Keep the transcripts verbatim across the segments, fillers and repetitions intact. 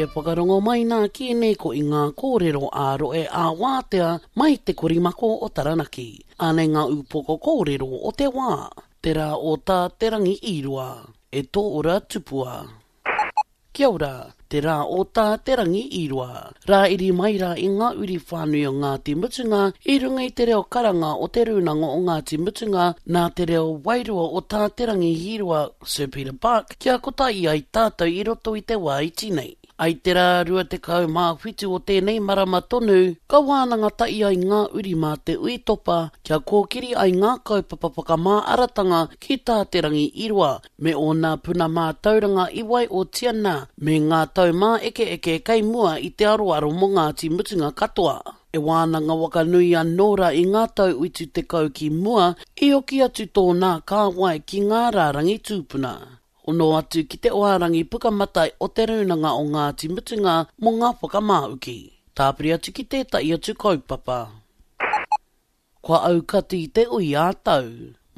e whakarongo mai nā ki ēnei ko i ngā kōrero ā-rohe ā-wātea mai te korimako o Taranaki. Anei ngā ūpoko kōrero o te wā. Te rā o tā Te Rangi Īroa. E tō ora tupua. Kia ora, te rā o tā Te Rangi Īroa. Rā iri mai rā i ngā uri whānui o Ngāti Mutunga i runga i te reo karanga o Te Rūnanga o Ngāti Mutunga nā te reo wairua o tā Te Rangi Hīroa, Sir Peter Buck, kia kotahi ai tātou i roto i te wā iti nei. Ai te rā rua tekau mā whitu o tēnei marama tonu, ka wānanga tahi ai ngā uri mā te ui topa kia kōkiri ai ngā kaupapa whakamāaratanga ki tā Te Rangi Īroa me ōna puna mātauranga i waiotia nā me ngā taumāekeeke kei mua i te aroaro mō Ngāti Mutunga katoa. E wānanga waka nui anō rā i ngā tau whitu tekau ki mua, i hoki atu tōnā kāwai ki ngā rārangi tūpuna. Hono atu ki te oharangi pukamata o Te Rūnanga o Ngāti Mutunga mō ngā whakamāuki. Tāpiri atu ki tētahi atu kaupapa. Kua aukati te ui ā-tau.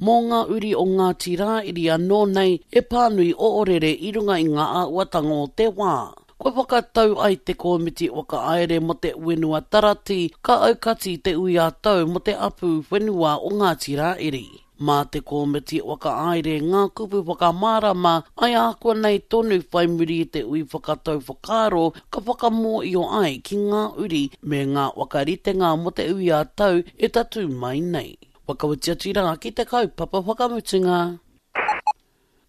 Mō ngā uri o Ngāti Rāiri anō nei e pānui oorere i runga i ngā āhuatanga o te wā. Kua whakatau ai te kōmiti whakahaere mō te whenua tarati ka aukati te ui ā-tau mō te apu whenua o Ngāti Rāiri. Mā te kōmiti whakahaere ngā kupu whakamārama ai ākuanei tonu whai muri i te ui whakatau whakaaro ka whakamōio ai ki ngā uri me ngā whakaritenga mō te ui ā-tau e tatū mai nei. Whakawhiti atu rā ki te kaupapa whakamutunga.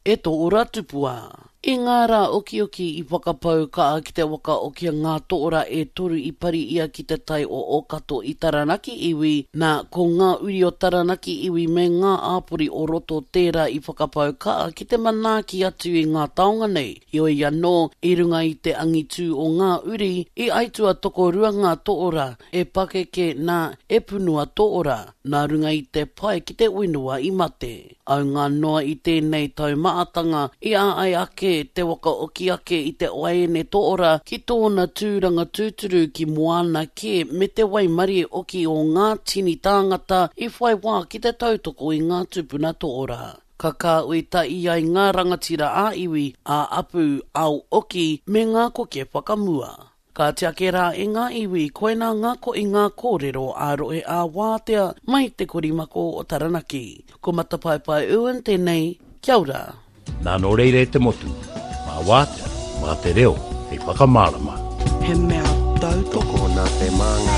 E tō ora tupua. I ngā rā okioki i whakapau kaha ki te waka oki a ngā tōra e toru i pari ia ki te tai o Ōkato i Taranaki iwi, nā, ko ngā uri o Taranaki iwi me ngā āpori o roto tērā i whakapau kaha ki te manaaki atu i ngā taonga nei. Heoi anō, i runga i te angitū o ngā uri, i aitua tokorua ngā tōra, e pakeke nā, e punua tōra, nā runga i te pai ki te whenua i mate. Aunga noa i tēnei taumahatanga i āai ake te waka oki ake i te waeine tōra ki tōna tūranga tūturu ki moana kē me te waimarie oki o ngā tini tāngata i whai wā ki te tautoko i ngā tūpuna tōra. Ka kāhui tahi ai ngā rangatira ā-iwi, ā-apu, ao oki me ngā koke whakamua. Ka tiake rā e ngā iwi, koinā ngā ko i ngā kōrero ā-rohe ā-wātea mai te korimako o Taranaki. Ko Matapaepae Owen tēnei, kia ora. Nā nō reira e te motu, mā wātea, mā te reo, hei whakamārama. He mea tautoko nā te māngai.